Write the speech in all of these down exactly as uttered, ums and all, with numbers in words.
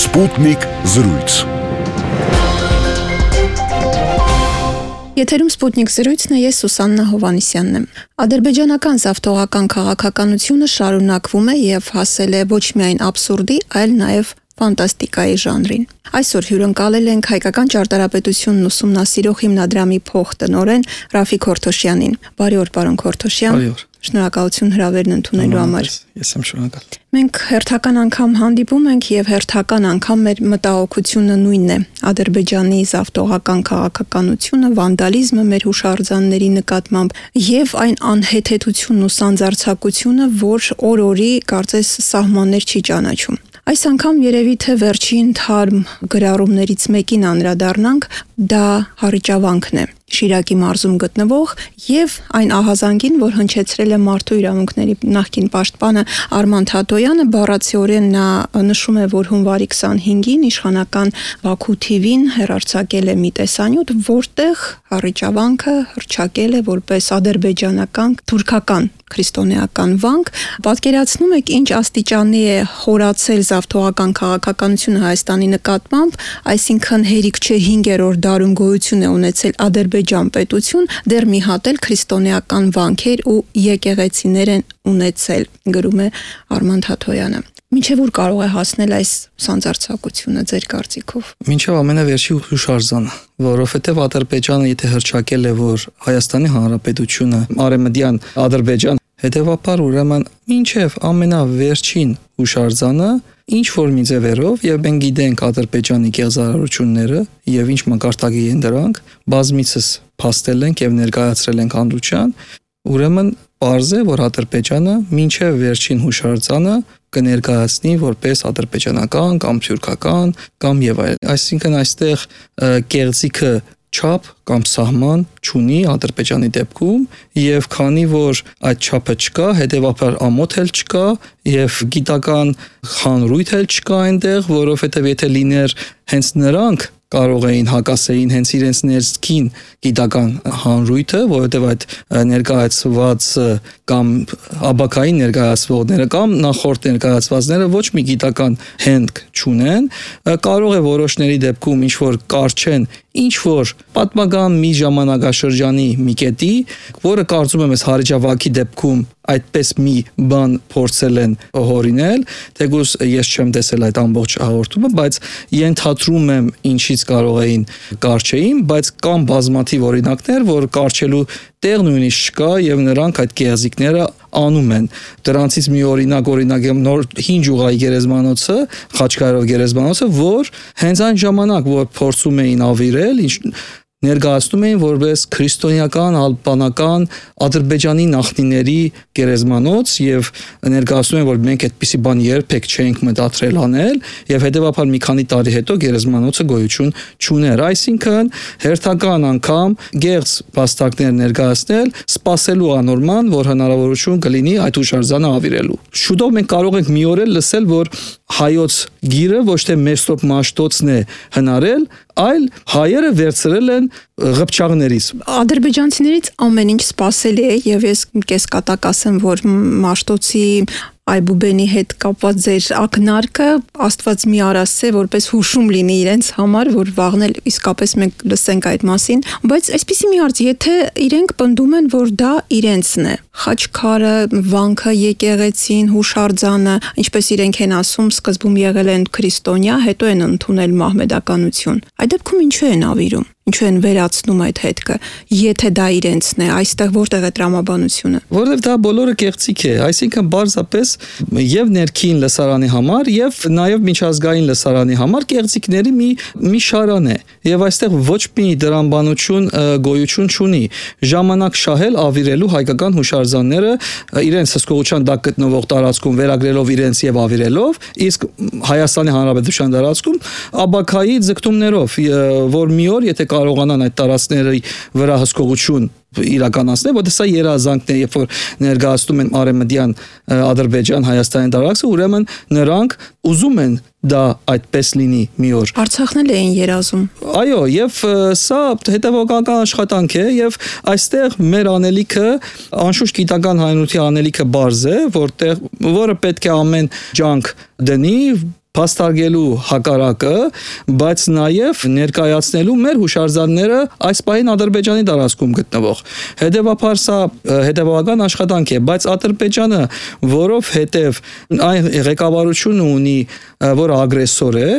Սպուտնիկ զրույց։ Եթերում Սպուտնիկ զրույցն է, ես Սուսաննա Հովհաննիսյանն եմ։ Ադրբեջանական զավթողական քաղաքականությունը շարունակվում է եւ հասել է ոչ միայն աբսուրդի, այլ նաեւ ֆանտաստիկայի ժանրին։ Այսօր հյուրընկալել ենք հայկական ճարտարապետությունն ուսումնասիրող հիմնադրամի փոխտնօրեն Ռաֆիկ Քորթոշյանին։ Բարի օր, պարոն Քորթոշյան։ Բարի օր։ Շնորհակալություն հրավերն ընդունելու համար։ Ես եմ շնորհակալ։ Մենք հերթական անգամ հանդիպում ենք եւ հերթական անգամ մեր մտահոգությունը նույնն է։ Ադրբեջանի զավթողական քաղաքականությունը, վանդալիզմը մեր հուշարձանների նկատմամբ եւ այն անհեթեթությունն ու սանձարձակությունը, որ օր-օրի կարծես սահմաններ չի ճանաչում։ Այս անգամ երևի թե վերջին թարմ գրառումներից մեկին անդրադառնանք, դա Հառիճավանքն է, Շիրակի մարզում գտնվող եւ այն ահազանգին, որ հնչեցրել է մարդու իրավունքների նախկին պաշտպանը Արման Թաթոյանը, բառացիորեն նա նշում է, որ հունվարի քսանհինգին իշխանական Բաքու թի վին հեռարձակել է մի տեսանյութ, որտեղ Հառիճավանքը հռչակել է որպես ադրբեջանական թուրքական քրիստոնեական վանք։ Պատկերացնում եք ինչ աստիճանի է խորացել զավթողական քաղաքականությունը Հայաստանի նկատմամբ, այսինքն հերիք չէ հինգերորդ դարում գոյություն է ունեցել Ադրբեջան պետություն, դեռ մի հատ էլ քրիստոնեական վանքեր ու եկեղեցիներ են ունեցել, գրում է Արման Թաթոյանը։ Մինչև ուր կարող է հասնել այս սանձարձակությունը ձեր կարծիքով։ Մինչև ամենավերջի հուշարձանը, որովհետև Ադրբեջանը եթե հռչակել է, որ Հայաստանի Հանրապետությունը արևմտյան Ադրբեջան, հետևաբար ուրեմն մինչև ամենավերջին հուշարձանը ինչ որ մի ձևերով, եւ մենք գիտենք Ադրբեջանի կեղծարարությունները եւ ինչ մակարդակի են դրանք, բազմիցս փաստել ենք եւ ներկայացրել ենք հանրության, ուրեմն պարզ է, որ Ադրբեջանը մինչև վերջին հուշարձանը կներկայացնի որպես ադրբեջանական կամ թուրքական կամ եւ այլն։ Այսինքն այստեղ կեղծիքը չափ կամ սահման չունի Ադրբեջանի դեպքում եւ քանի որ այդ չափը չկա, հետեւաբար ամոթ էլ չկա եւ գիտական խանրույթ էլ չկա այնտեղ, որովհետեւ եթե լիներ հենց նրանք կարող էին հակասեին հենց իրենց ներքին գիտական հանրույթը, որովհետև այդ ներկայացված կամ աբակային ներկայացվողները կամ նախորդ ներկայացվածները ոչ մի գիտական հենք չունեն, կարող է որոշների դեպքում ինչ որ կարճեն ինչ որ պատմական մի ժամանակաշրջանի մի կետի, որը կարծում եմ ես Հառիճավանքի դեպքում այդպես մի բան փորձել են հորինել, թեկուզ ես չեմ տեսել այդ ամբողջ հաղորդումը, բայց ենթադրում եմ ինչից կարող էին կարճեին, բայց կան բազմաթիվ օրինակներ, որ կարճելու տեղ նույնիսկ չկա եւ նրանք այդ կեղծիքները անում են։ Դրանցից մի օրինակ օրինակ եմ նոր հին ջուղայի գերեզմանոցը, Խաչկայրով գերեզմանոցը, որ հենց այն ժամանակ, որ փորձում էին ավիրել, ներկայացնում էին որպես քրիստոնեական, ալբանական Ադրբեջանի նախնիների գերեզմանոց եւ ներկայացնում են, որ մենք այդպիսի բան երբեք չենք մտածրել անել եւ հետեւաբար մի քանի տարի հետո գերեզմանոցը գոյություն չուներ։ Այսինքն հերթական անգամ գեղձ փաստակներ ներկայացնել, սпасելու անորման, որ հնարավորություն կլինի այդ հուշարձանը ավիրելու։ Շուտով մենք կարող ենք մի օր էլ լսել, որ հայոց գիրը ոչ թե Մեսրոպ Մաշտոցն է հնարել, այլ հայերը վերցրել են ղփչաղներից։ Ադրբեջանցիներից ամեն ինչ սпасելի է եւ ես կեսկատակ ասեմ, որ Մաշտոցի Այբուբենի հետ կապված ձեր ակնարկը Աստված մի արասե որպես հուշում լինի իրենց համար, որ վաղն էլ իսկապես մենք լսենք այդ մասին, բայց այսպեսի մի հարց, եթե իրենք պնդում են, որ դա իրենցն է, Խաչքարը, վանքը, եկեղեցին, հուշարձանը, ինչպես իրենք են ասում, սկզբում եղել են քրիստոնյա, հետո են ընդունել մահմեդականություն։ Այդ դեպքում ինչու են ավիրում։ Ինչու են վերացնում այդ հետքը, եթե դա իրենցն է, այստեղ որտեղ է տրամաբանությունը։ Որովհետև դա բոլորը կեղծիք է, այսինքն բարձրապես եւ ներքին լսարանի համար եւ նաեւ միջազգային լսարանի համար կեղծիքների մի մի շարան է եւ այստեղ ոչ մի դրամբանություն գոյություն չունի։ Ժամանակ շահել ավիրելու հայկական հուշարձանները իրենց հսկողության տակ գտնվող տարածքում վերագրելով իրենց եւ ավիրելով, իսկ Հայաստանի Հանրապետության տարածքում աբակայի ձգտումներով, որ մի օր եթե կարողանան այդ տարածքների վրա հսկողություն իրականացնել, որտեղ սա երազանքն է, երբ որ ներկայացնում են արևմտյան Ադրբեջան, Հայաստանի տարածքը, ուրեմն նրանք ուզում են դա այդպես լինի մի օր։ Արցախն էլ էին երազում։ Այո, եւ սա հետևողական աշխատանք է եւ այստեղ մեր անելիքը, անշուշտ գիտական հայնության անելիքը բարձ է, որտեղ որը պետք է ամեն ջանք դնի, փաստարկելու հակառակը, բայց նաև ներկայացնելու մեր հուշարձանները այս պահին Ադրբեջանի տարածքում գտնվող։ Հետևաբար սա հետևական աշխատանք է, բայց Ադրբեջանը, որովհետև այն ղեկավարությունը ունի, որ ագրեսոր է,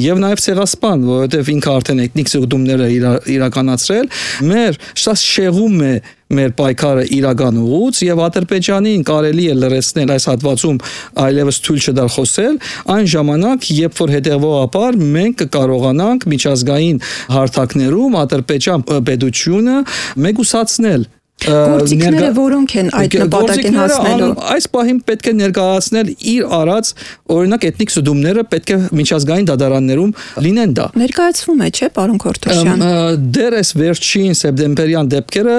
եւ նաև ցեղասպան, որովհետև ինքը արդեն էթնիկ զուգումները իրականացրել, մեր սա շեղում է մեր պայքարը իրական ուղուց եւ Ադրբեջանին կարելի է լրացնել այս հատվածում այլևս թույլ չտալ խոսել, այն ժամանակ, երբ որ հետեւողաբար մենք կկարողանանք միջազգային հարթակներում Ադրբեջան պետությունը մեգուսացնել Գործիքները որոնք են այդ նպատակին հասնելու։ Այս պահին պետք է ներկայացնել իր արած օրինակ էթնիկ զուգումները պետք է միջազգային դատարաններում լինեն դա։ Ներկայացվում է, չէ՞, պարոն Քորթոշյան։ Դեռ այս վերջին սեպտեմբերյան դեպքերը,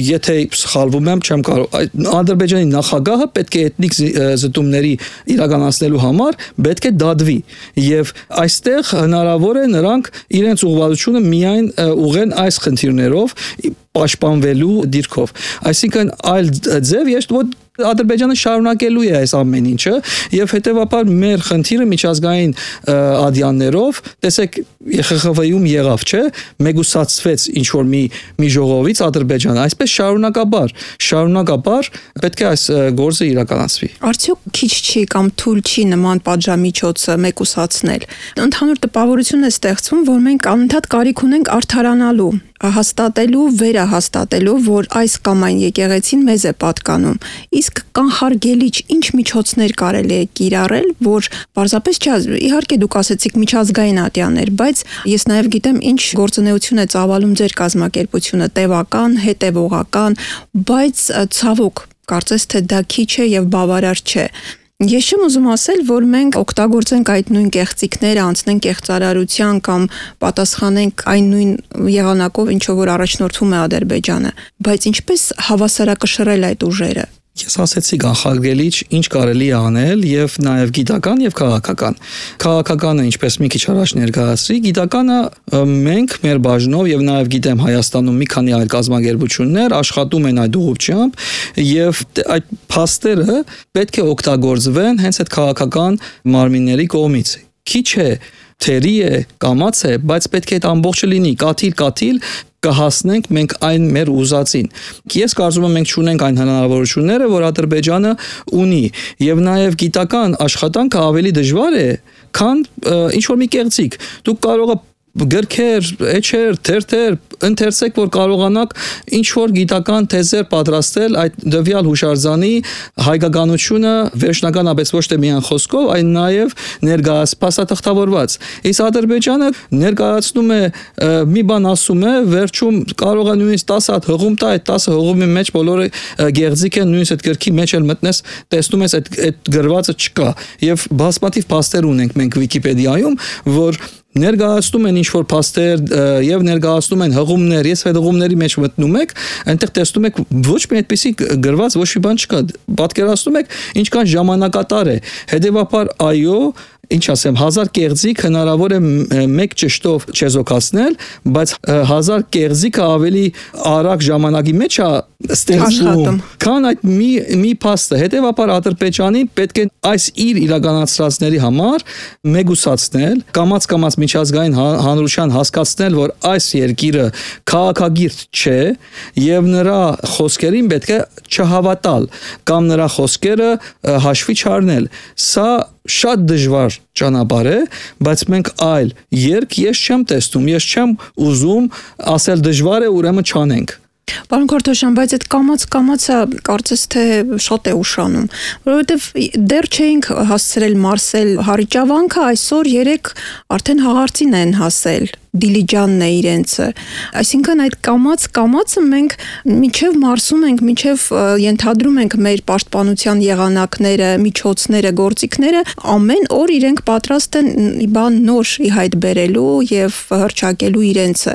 եթե սխալվում եմ, չեմ կարող։ Ադրբեջանի նախագահը պետք է էթնիկ զուգումների իրականացնելու համար պետք է դադվի եւ այստեղ հնարավոր է նրանք իրենց ուղղվածությունը միայն ուղեն այս խնդիրներով պաշտպանվելու դիրքով։ Այսինքն այլ ձև ես որ Ադրբեջանը շարունակելու է այս ամեն ինչը եւ հետեւաբար մեր խնդիրը միջազգային ադյաններով, տեսեք Ե Խ Խ V-ում եղավ, չէ, մեգուսացվեց ինչ որ մի մի ժողովից Ադրբեջանը, այսպես շարունակաբար, շարունակաբար պետք է այս գործը իրականացվի։ Արդյոք քիչ չի կամ թույլ չի նման պատժամիջոցը մեգուսացնել։ Ընդհանուր տպավորություն է ստեղծվում, որ մենք անընդհատ կարիք ունենք արդարանալու, հաստատելու, վերահաստատելու, որ այս կամ այն եկեղեցին մեզ է պատկանում։ Իսկ կանխարգելիչ ինչ միջոցներ կարելի է կիրառել, որ պարզապես չէ, իհարկե դուք ասեցիք միջազգային ատյաններ, բայց ես նաև գիտեմ ինչ գործունեություն է ծավալում ձեր կազմակերպությունը, տևական, հետևողական, բայց ցավոք, կարծես թե դա քիչ է եւ բավարար չէ։ Ես չեմ ուզում ասել, որ մենք օգտագործենք այդ նույն կեղծիքները, անցնենք կեղծարարության կամ պատասխանենք այն նույն եղանակով, ինչով որ առաջնորդվում է Ադրբեջանը, բայց ինչպես հավասարակշռել այդ ուժերը։ Ես ասեցի կանխարգելիչ ինչ կարելի է անել եւ նաեւ գիտական եւ քաղաքական։ Քաղաքականը ինչպես մի քիչ առաջ ներկայացրի, գիտականը մենք մեր բաժնով եւ նաեւ գիտեմ Հայաստանում մի քանի այլ կազմակերպություններ աշխատում են այդ ուղղությամբ եւ այդ փաստերը պետք է օգտագործվեն հենց այդ քաղաքական մարմինների կողմից։ Քիչ է, թերի է, կամաց է, բայց պետք է այդ ամբողջը լինի, կաթիլ-կաթիլ կհասնենք մենք այն մեր ուզածին։ Ես կարծում եմ մենք չունենք այն հնարավորությունները, որ Ադրբեջանը ունի, եւ նաեւ գիտական աշխատանքը ավելի դժվար է, քան ինչ որ մի կեղծիք։ Դուք կարող եք գրքեր, էջեր, թերթեր, ընթերցեք, որ կարողանաք ինչ որ գիտական թեզեր պատրաստել այդ դվյալ հուշարձանի հայկականությունը վերջնականապես ոչ թե միայն խոսքով, այլ նաև ներկայացված։ Իսկ Ադրբեջանը ներկայացնում է մի բան ասում է, վերջում կարող է նույնիսկ տասը հատ հղում տա, այդ տասը հղումի մեջ բոլորը գեղձիկ են, նույնիսկ այդ գրքի մեջ էլ մտնես, տեսնում ես այդ այդ գրվածը չկա։ Եվ բազմաթիվ փաստեր ունենք մենք Վիկիպեդիայում, որ ներկայացնում են ինչ-որ փաստեր եւ ներկայացնում են հղումներ, ես այդ հղումների մեջ մտնում եք, այնտեղ տեսնում եք ոչ մի այդպիսի գրված ոչ մի բան չկա, պատկերացնում եք ինչքան ժամանակատար է, հետեւաբար այո, ինչ ասեմ, հազար կեղծիկ հնարավոր է մեկ ճշտով չեզոքացնել, բայց հազար կեղծիկը ավելի արագ ժամանակի մեջ է ստեղծվում, քան այդ մի մի փաստը։ Հետևաբար Ադրբեջանին պետք է այս իր իրականացրածների համար մեգուսացնել, կամաց-կամաց միջազգային հանրության հասկացնել, որ այս երկիրը քաղաքագիրտ չէ եւ նրա խոսքերին պետք է չհավատալ կամ նրա խոսքերը հաշվի չառնել։ Սա շատ դժվար ճանապարհ է, բայց մենք այլ երկ ես չեմ տեսնում, ես չեմ ուզում ասել դժվար է, ուրեմն չանենք։ Պարոն Քորթոշյան, բայց այդ կամաց-կամացը կարծես թե շատ է ուշանում, որովհետև դեռ չէինք հասցրել մարսել Հարիճավանքը, այսօր երեք արդեն հաղարծին են հասել, Դիլիջանն է իրենցը։ Այսինքն այդ կամաց-կամացը մենք միջև մարսում ենք, միջև ենթադրում ենք մեր պաշտպանության եղանակները, միջոցները, գործիքները, ամեն օր իրենք պատրաստ են բան նոր ի հայտ բերելու եւ հռչակելու իրենցը։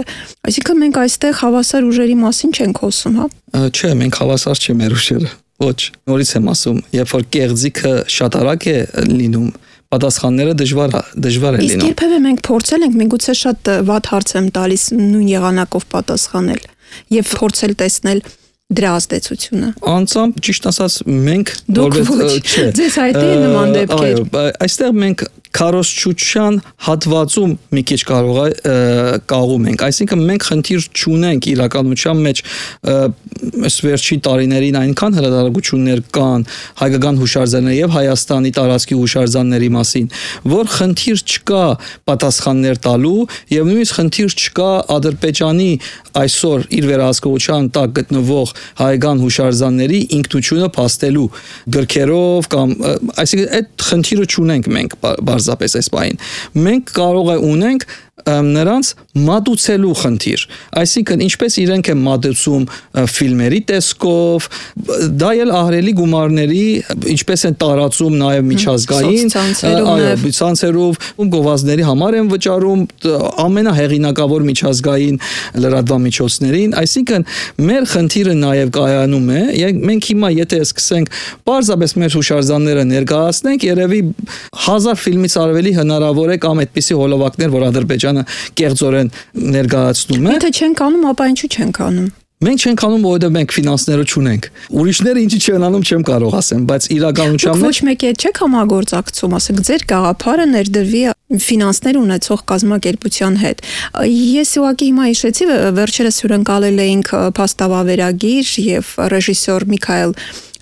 Այսինքն մենք այստեղ հավասար ուժերի մասին չենք խոսում, հա։ Չէ, մենք հավասար չենք մեր ուժերը։ Ոչ, նորից եմ ասում, երբ որ կեղծիքը շատ արագ է լինում, պատասխանները դժվար դժվար է լինում։ Իսկ երբևէ մենք փորձել ենք, միգուցե շատ վատ հարց եմ տալիս, նույն եղանակով պատասխանել եւ փորձել տեսնել դրա ազդեցությունը։ Անձամբ ճիշտ ասած մենք որպես չէ։ Ձեզ այդ է նման դեպքեր։ Այո, այստեղ մենք քարոզչության հատվածում մի քիչ կարող է կաղում ենք, այսինքն մենք խնդիր չունենք իրականության մեջ այս վերջին տարիներին այնքան հրատարակություններ կան հայկական հուշարձանների եւ Հայաստանի տարածքի հուշարձանների մասին, որ խնդիր չկա պատասխաններ տալու եւ նույնիսկ խնդիր չկա Ադրբեջանի այսօր իր վերահսկողության տակ գտնվող հայկական հուշարձանների ինքնությունը փաստելու գրքերով կամ այսինքն այդ խնդիրը չունենք մենք բարձրապես այս բային։ Մենք կարող է ունենք նրանց մատուցելու խնդիր, այսինքն ինչպես իրենք են մատուցում ֆիլմերի տեսքով, դա էլ ահռելի գումարների ինչպես են տարածում նաև միջազգային, այո, ցանցերով, գովազդների համար են վճարում ամենահեղինակավոր միջազգային լրատվամիջոցներին, այսինքն մեր խնդիրը նաև կայանում է, մենք հիմա եթե սկսենք պարզապես մեր հուշարձանները ներկայացնենք, երևի հազար ֆիլմից ավելի հնարավոր է կամ այդպիսի հոլովակներ, որ Ադրբեջանը կեղծորեն ներկայացնում է։ Եթե չենք անում, ապա ինչու չենք անում։ Մենք չենք անում, որովհետև մենք ֆինանսները չունենք։ Ուրիշները ինչի չեն անում, չեմ կարող ասեմ, բայց իրականության մեջ ոչ մեկի հետ չեք համագործակցում, ասեք, ձեր գաղափարը ներդրվի ֆինանսներ ունեցող կազմակերպության հետ։ Ես ուղղակի հիմա հիշեցի, վերջերս հյուրընկալել էինք փաստավավերագիր եւ ռեժիսոր Միքայել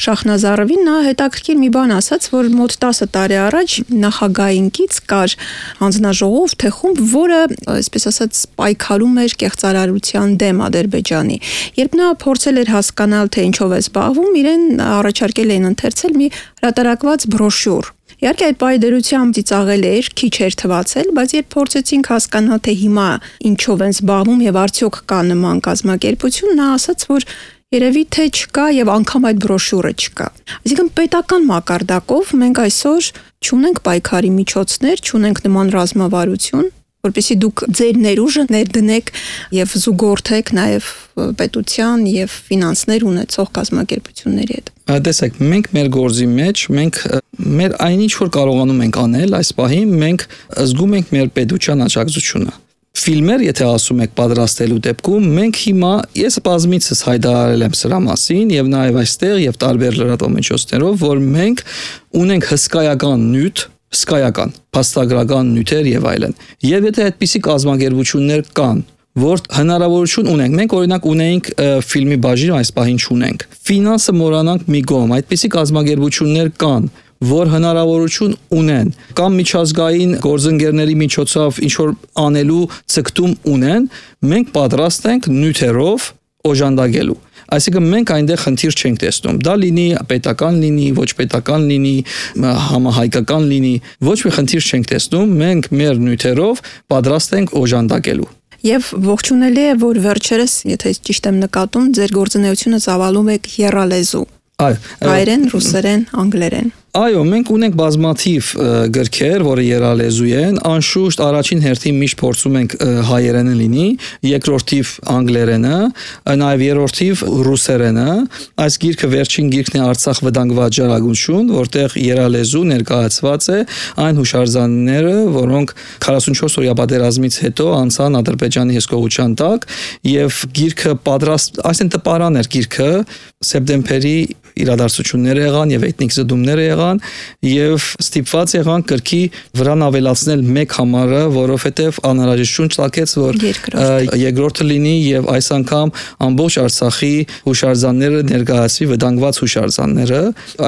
Շախնազարովին, նա հետաքրքիր մի բան ասաց, որ մոտ տասը տարի առաջ նախագահինքից կար հանձնաժողով, թե խումբ, որը, այսպես ասած, պայքարում էր կեղծարարության դեմ Ադրբեջանի։ Երբ նա փորձել էր հասկանալ, թե ինչով է զբաղվում, իրեն առաջարկել էին ընթերցել մի հրատարակված բրոշյուր։ Իհարկե այդ պայդերությամբ ծիծաղել էր, քիչ էր թվացել, բայց երբ փորձեցինք հասկանալ, թե հիմա ինչով են զբաղվում եւ արդյոք կա նման կազմակերպություն, նա ասաց, որ երևի թե չկա եւ անգամ այդ բրոշյուրը չկա։ Այսինքն պետական մակարդակով մենք այսօր չունենք պայքարի միջոցներ, չունենք նման ռազմավարություն, որպեսզի դուք ձեր ներուժը ներդնեք եւ զուգորդեք նաեւ պետության եւ ֆինանսներ ունեցող կազմակերպությունների հետ։ Տեսեք, մենք մեր գործի մեջ, մենք մեր այնինչ որ կարողանում ենք անել, այս պահին մենք զգում ենք մեր պետության աջակցությունը։ Ֆիլմեր, եթե ասում եք պատրաստելու դեպքում, մենք հիմա ես բազմիցս հայտարարել եմ սրա մասին եւ նաեւ այստեղ եւ տարբեր լրատվամիջոցներով, որ մենք ունենք հսկայական նյութ, հսկայական փաստագրական նյութեր եւ այլն։ Եվ եթե այդպիսի կազմակերպություններ կան, որ հնարավորություն ունենք, մենք օրինակ ունեինք ֆիլմի բաժին, այս պահին չունենք։ Ֆինանսը մոռանանք մի կողմ, այդպիսի կազմակերպություններ կան, որ հնարավորություն ունեն կամ միջազգային գործընկերների միջոցով ինչ որ անելու ցկտում ունեն, մենք պատրաստ ենք նյութերով օժանդակելու։ Այսինքն մենք այնտեղ խնդիր չենք տեսնում։ Դա լինի պետական լինի, ոչ պետական լինի, համահայկական լինի, ոչ մի խնդիր չենք տեսնում, մենք մեր նյութերով պատրաստ ենք օժանդակելու։ Եվ ողջունելի է, որ վերջերս, եթե ճիշտ եմ նկատում, ձեր գործունեությունը ծավալում եք եռալեզու։ Այո, հայերեն, ռուսերեն, անգլերեն։ Այո, մենք ունենք բազմաթիվ գրքեր, որը եռալեզու են, անշուշտ առաջին հերթին միշտ փորձում ենք հայերենը լինի, երկրորդիվ անգլերենը, նաև երրորդիվ ռուսերենը։ Այս գիրքը վերջին գիրքն է Արցախ վտանգված ջրագություն, որտեղ եռալեզու ներկայացված է այն հուշարձանները, որոնք քառասունչորս օրյա պատերազմից հետո անցան Ադրբեջանի հսկողության տակ, եւ գիրքը պատրաստ, այսինքն տպարան էր գիրքը, սեպտեմբերի իրադարձությունները եղան եւ էթնիկ զդումները եղան եւ ստիպված եղան կրկի վրան ավելացնել մեկ համարը, որովհետեւ անհրաժեշտություն ցակեց, որ երկրորդը լինի եւ այս անգամ ամբողջ Արցախի հուշարձանները ներկայացվի վտանգված հուշարձանները։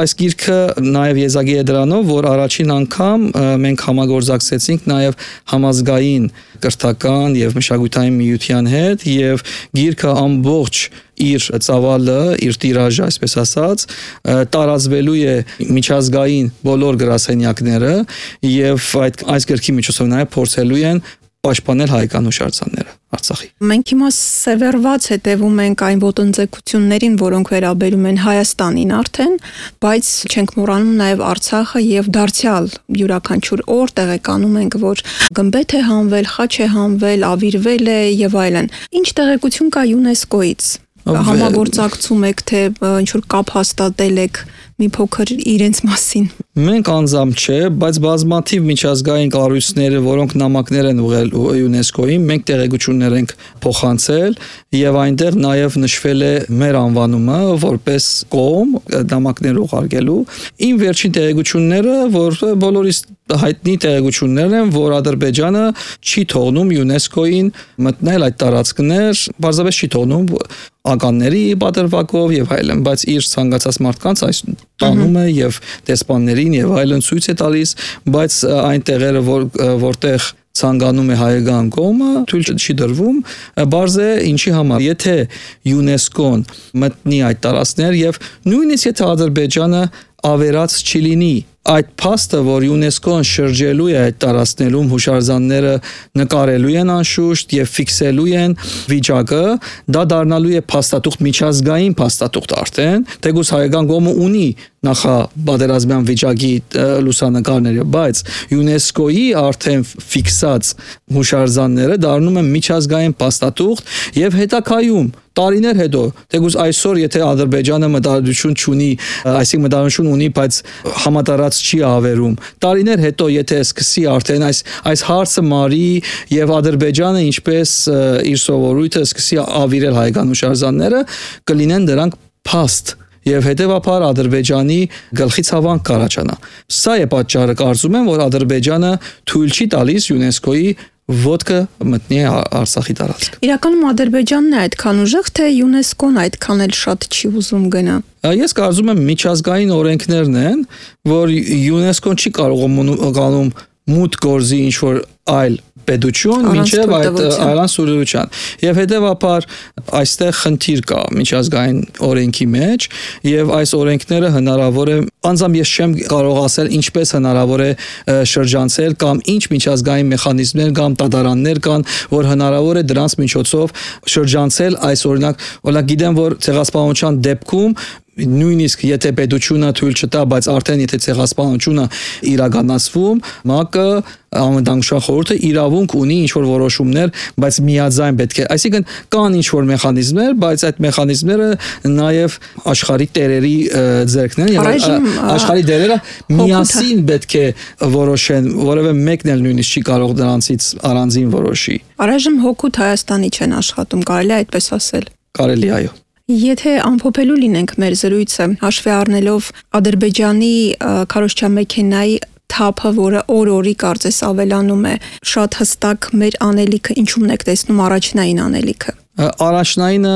Այս գիրքը նաեւ եզակի է դրանով, որ առաջին անգամ մենք համագործակցեցինք նաեւ համազգային կրթական եւ մշակութային միության հետ եւ գիրքը ամբողջ իր ծավալը, իր տիրաժը, այսպես ասած, տարածվելու է միջազգային բոլոր գրասենյակները եւ այդ այս գրքի միջոցով նաեւ փորձելու են պաշտպանել հայկական հուշարձանները Արցախի։ Մենք հիմա սևեռված հետևում ենք այն ոտնձգություններին, որոնք վերաբերում են Հայաստանին արդեն, բայց չենք մոռանում նաև Արցախը եւ դարձյալ յուրաքանչյուր օր տեղեկանում ենք, որ գմբեթ է հանվել, խաչ է հանվել, ավիրվել է եւ այլն։ Ինչ տեղեկություն կա ՅՈՒՆԵՍԿՕ-ից։ Համագործակցում եք, թե ինչ որ կապ հաստատել եք մի փոքր իրենց մասին։ Մենք անձամբ չէ, բայց բազմաթիվ միջազգային կառույցները, որոնք նամակներ են ուղղել ՅՈՒՆԵՍԿՕ-ին, մենք տեղեկություններ ենք փոխանցել եւ այնտեղ նաեւ նշվել է մեր անվանումը որպես կողմ նամակներ ուղարկելու։ Իմ վերջին տեղեկությունները, որ բոլորիս հայտնի տեղեկություններ են, որ Ադրբեջանը չի թողնում ՅՈՒՆԵՍԿՕ-ին մտնել այդ տարածքներ, բարձրապես չի թողնում ականների պատրվակով եւ այլն, բայց իր ցանկացած մարդկանց այս տանում է եւ դեսպաններին եւ այլն ցույց է տալիս, բայց այն տեղերը, որ որտեղ ցանկանում է հայկական կողմը, թույլ չի դրվում, բարձ է ինչի համար։ Եթե ՅՈՒՆԵՍԿՕ-ն մտնի այդ տարածքներ եւ նույնիսկ եթե Ադրբեջանը ավերած չի լինի, այդ փաստը, որ ՅՈՒՆԵՍԿՕ-ն շրջելու է այդ տարածքներում հուշարձանները նկարելու են անշուշտ եւ ֆիքսելու են վիճակը, դա դառնալու է փաստաթուղթ, միջազգային փաստաթուղթ արդեն, թեկուզ հայկական կողմը ունի նախապատերազմյան վիճակի լուսանկարները, բայց ՅՈՒՆԵՍԿՕ-ի արդեն ֆիքսած հուշարձանները դառնում են միջազգային փաստաթուղթ եւ հետագայում տարիներ հետո, թեկուզ այսօր եթե Ադրբեջանը մտահոգություն չունի, այսինքն մտահոգություն ունի, բայց համատարած չի ավերում, տարիներ հետո եթե սկսի արդեն այս այս հարցը մարի եւ Ադրբեջանը ինչպես իր սովորույթը սկսի ավիրել հայկական հուշարձանները, կլինեն դրանք փաստ եւ հետեւաբար Ադրբեջանի գլխի ցավանք կառաջանա։ Սա է պատճառը, կարծում եմ, որ Ադրբեջանը թույլ չի տալիս ՅՈՒՆԵՍԿՕ-ի ոտքը մտնի Արցախի տարածք։ Իրականում Ադրբեջանն է այդքան ուժեղ, թե ՅՈՒՆԵՍԿՕ-ն այդքան էլ շատ չի ուզում գնա։ Ես կարծում եմ միջազգային օրենքներն են, որ ՅՈՒՆԵՍԿՕ-ն չի կարող մուտք գործի ինչ որ այլ պետություն մինչև այդ առանցուրության եւ հետեւաբար այստեղ խնդիր կա միջազգային օրենքի մեջ եւ այս օրենքները հնարավոր է անձամբ ես չեմ կարող ասել ինչպես հնարավոր է շրջանցել կամ ինչ միջազգային մեխանիզմներ կամ դատարաններ կան որ հնարավոր է դրանց միջոցով շրջանցել այս օրինակ օրինակ գիտեմ որ ցեղասպանության դեպքում նույնիսկ եթե պետությունը թույլ չտա, բայց արդեն եթե ցեղասպանությունը իրականացվում, ՄԱԿ-ը Անվտանգության խորհուրդը իրավունք ունի ինչ որ որոշումներ, բայց միաձայն պետք է, այսինքն կան ինչ որ մեխանիզմներ, բայց այդ մեխանիզմները նաև աշխարհի տերերի ձեռքն են եւ աշխարհի տերերը միասին պետք է որոշեն, որովհետեւ մեկն էլ նույնիսկ չի կարող դրանցից առանձին որոշի։ Առայժմ հոգուտ Հայաստանի չեն աշխատում, կարելի է այդպես ասել։ Կարելի այո։ Եթե ամփոփելու լինենք մեր զրույցը, հաշվի առնելով Ադրբեջանի քարոզչամեքենայի թափը, որը օր-օրի կարծես ավելանում է, շատ հստակ մեր անելիքը ինչու՞մն եք տեսնում առաջնային անելիքը։ Առաջնայինը,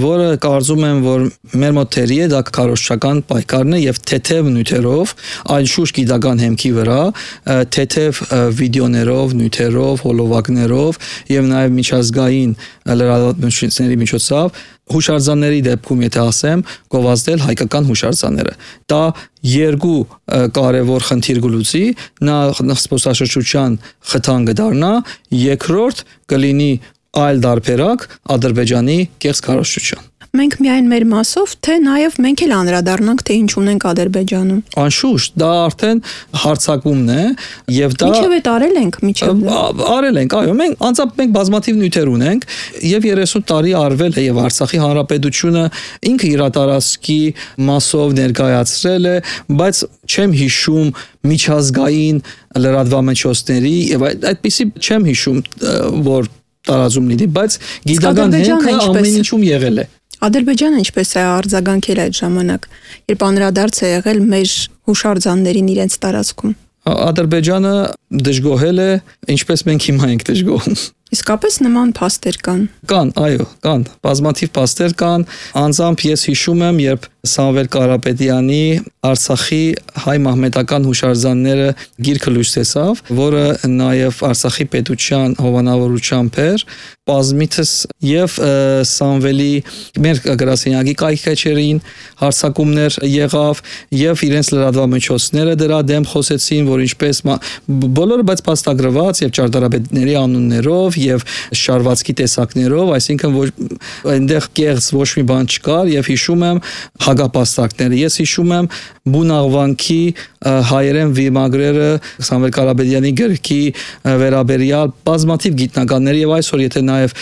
որը կարծում եմ, որ մեր մոտ թերի է, դա քարոզչական պայքարն է եւ թեթև նյութերով, անշուշտ գիտական հեմքի վրա, թեթև վիդեոներով, նյութերով, հոլովակներով եւ նաեւ միջազգային լրատվամիջոցների միջոցով հուշարձանների դեպքում եթե ասեմ, գովազդել հայկական հուշարձանները։ Դա երկու կարևոր խնդիր գլուծի, նա զբոսաշրջության խթան կդառնա, երկրորդ կլինի այլ դարբերակ Ադրբեջանի կեղծ քարոզչության։ Մենք միայն մեր մասով, թե նաև մենք էլ անդրադառնանք, թե ինչ ունենք Ադրբեջանում։ Անշուշտ, դա արդեն հարձակումն է եւ դա Ինչեւ է տարել ենք միջև։ Արել ենք, այո, մենք անցած մենք բազմաթիվ նյութեր ունենք եւ երեսուն տարի արվել է եւ Արցախի հանրապետությունը ինքը իր տարածքի մասով ներկայացրել է, բայց չեմ հիշում միջազգային լրատվամիջոցների եւ այդպիսի չեմ հիշում, որ տարածում լինի, բայց գիտական հենքը ամեն ինչում եղել է։ Ադրբեջանը ինչպես է արձագանքել այդ ժամանակ, երբ անդրադարձ է եղել մեր հուշարձաններին իրենց տարածքում։ Ադրբեջանը դժգոհել է, ինչպես մենք հիմա ենք դժգոհում։ Իսկապես նման փաստեր կան։ Կան, այո, կան, բազմաթիվ փաստեր կան, անձամբ ես հիշում եմ, երբ Սամվել Կարապետյանի Արցախի հայ մահմեդական հուշարձանները գիրքը լույս տեսավ, որը նաև Արցախի պետության հովանավորությամբ էր, բազմիցս եւ Սամվելի մեր գրասենյակի կայքեչերին հարցակումներ եղավ եւ իրենց լրատվամիջոցները դրա դեմ խոսեցին, որ ինչպես բոլորը բայց փաստագրված եւ ճարտարապետների անուններով եւ շարվածքի տեսակներով, այսինքն որ այնտեղ կեղծ ոչ մի բան չկար եւ հիշում եմ հագապաստակները։ Ես հիշում եմ Բունաղվանքի հայերեն վիմագրերը Սամվել Կարապետյանի գրքի վերաբերյալ բազմաթիվ գիտնականների եւ այսօր եթե նաև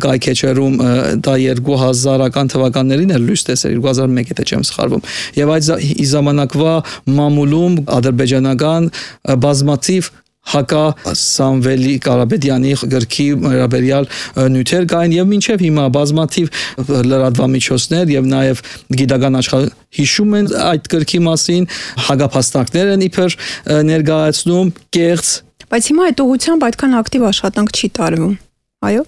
կայքեչերում դա երկու հազարական թվականներին էր լույս տեսել, երկու հազար մեկ եթե չեմ սխալվում։ Եվ այդ ժամանակվա մամուլում ադրբեջանական բազմաթիվ հակա Սամվելի Կարապետյանի գրքի վերաբերյալ նյութեր կային եւ մինչեւ հիմա բազմաթիվ լրատվամիջոցներ եւ նաեւ գիտական աշխարհ հիշում են այդ գրքի մասին, հագապաստակներ են իբր ներկայացնում կեղծ, բայց հիմա այդ ուղղությամբ այդքան ակտիվ աշխատանք չի տարվում, այո։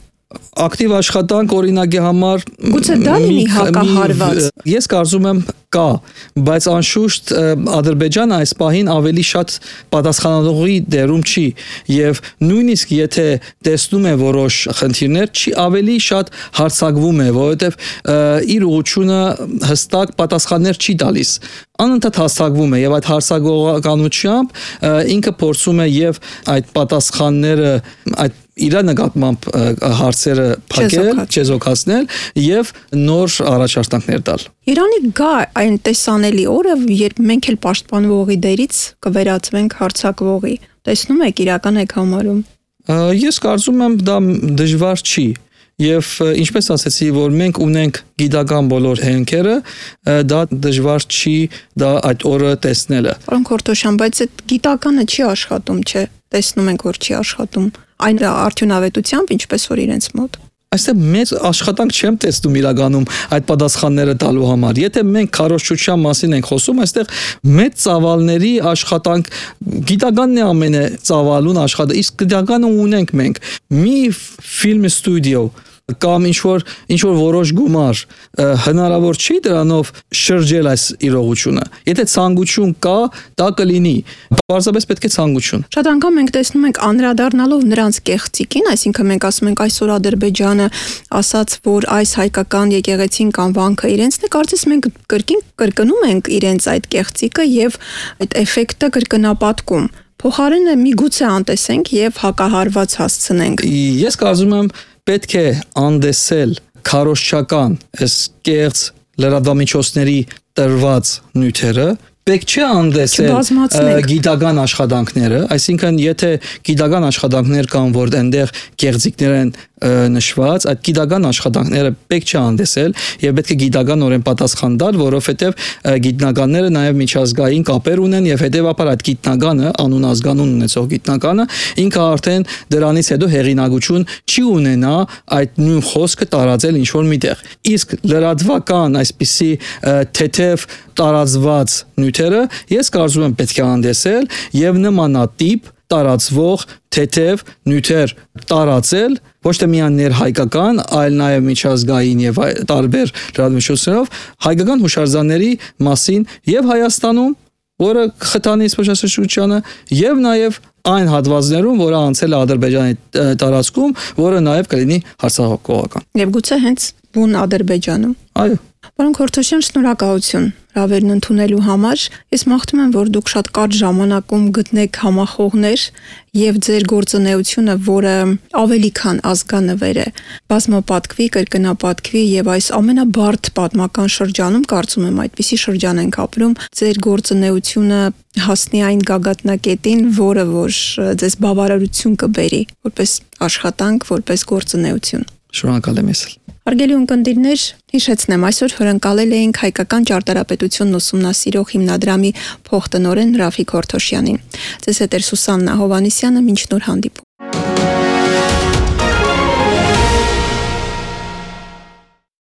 Ակտիվ աշխատանք օրինակի համար գուցե դա լինի հակահարված։ Ես կարծում եմ կա, բայց անշուշտ Ադրբեջանը այս պահին ավելի շատ պատասխանատուի դերում չի եւ նույնիսկ եթե տեսնում է որոշ խնդիրներ, չի ավելի շատ հարցակվում է, որովհետեւ իր ուղղությունը հստակ պատասխաններ չի տալիս։ Անընդհատ հաստատվում է եւ այդ հարցակողականությամբ ինքը փորձում է եւ այդ պատասխանները այդ իր նկատմամբ հարցերը փակել, չեզոքացնել եւ նոր առաջարկներ տալ։ Իրանի գա այն տեսանելի օրը, երբ մենք էլ պաշտպանվողի դերից կվերածվենք հարձակվողի։ Տեսնում եք, իրական եք համարում։ Ես կարծում եմ դա դժվար չի։ Եվ ինչպես ասեցի, որ մենք ունենք գիտական բոլոր հենքերը, դա դժվար չի դա այդ օրը տեսնելը։ Պարոն Քորթոշյան, բայց այդ գիտականը չի աշխատում, չէ՞։ Տեսնում ենք, որ չի աշխատում։ Այն արդյունավետությամբ, ինչպես որ իրենց մոտ։ Այստեղ մեծ աշխատանք չեմ տեսնում իրականում այդ պատասխանները տալու համար։ Եթե մենք քարոզչության մասին ենք խոսում, այստեղ մեծ ծավալների աշխատանք, գիտականն է ամենը ծավալուն աշխատանք, իսկ գիտականը ունենք մենք։ Մի ֆիլմ ստուդիո կամ ինչ որ ինչ որ որոշ գումար հնարավոր չի դրանով շրջել այս իրողությունը։ Եթե ցանկություն կա, դա կլինի։ Պարզապես պետք է ցանկություն։ Շատ անգամ մենք տեսնում ենք անդրադառնալով նրանց կեղծիկին, այսինքն մենք ասում ենք այսօր Ադրբեջանը ասաց, որ այս հայկական եկեղեցին կամ վանքը իրենցն է, կարծես մենք կրկին կրկնում ենք իրենց այդ կեղծիկը եւ այդ էֆեկտը կրկնապատկում։ Փոխարենը միգուցե անտեսենք եւ հակահարված հասցնենք։ Ես կարծում եմ պետք է անդեսել քարոզչական այս կեղծ լրատվամիջոցների տրված նյութերը, պետք չէ անդեսել գիտական աշխատանքները, այսինքն եթե գիտական աշխատանքներ կան, որ այնտեղ կեղծիկներ են նշված, այդ գիտական աշխատանքները պետք չէ անդեսել եւ պետք է գիտականորեն պատասխան տալ, որովհետեւ գիտնականները նաեւ միջազգային կապեր ունեն եւ հետեւաբար այդ գիտնականը, անուն ազգանուն ունեցող գիտնականը, ինքը արդեն դրանից հետո հեղինակություն չի ունենա այդ նույն խոսքը տարածել ինչ որ միտեղ։ Իսկ լրատվական այսպիսի թեթև տարածված նյութերը ես կարծում եմ պետք է անդեսել եւ նմանատիպ տարածվող թեթև նյութեր տարածել ոչ թե միայն ներհայկական, այլ նաև միջազգային եւ տարբեր լրատվամիջոցներով հայկական հուշարձանների մասին եւ Հայաստանում, որը խթանի սփոփաշրջությանը եւ նաև այն հատվածներում, որը անցել է Ադրբեջանի տարածքում, որը նաև կլինի հարցակողական։ Եվ գուցե հենց բուն Ադրբեջանում։ Այո։ Պարոն Քորթոշյան, շնորհակալություն հրավերն ընդունելու համար։ Ես մաղթում եմ, որ դուք շատ կարճ ժամանակում գտնեք համախոհներ եւ ձեր գործունեությունը, որը ավելի քան ազգանվեր է, բազմապատկվի, կրկնապատկվի եւ այս ամենաբարդ պատմական շրջանում, կարծում եմ, այդպիսի շրջան ենք ապրում, ձեր գործունեությունը հասնի այն գագաթնակետին, որը որ ձեզ բավարարություն կբերի, որպես աշխատանք, որպես գործունեություն։ Շնորհակալ եմ ես։ Հարգելի ունկնդիրներ, հիշեցնեմ, այսօր հյուրընկալել էինք հայկական ճարտարապետությունն ուսումնասիրող հիմնադրամի փոխտնօրեն Ռաֆիկ Քորթոշյանին։ Ձեզ հետ է Սուսաննա Հովհաննիսյանը, մինչ նոր հանդիպում։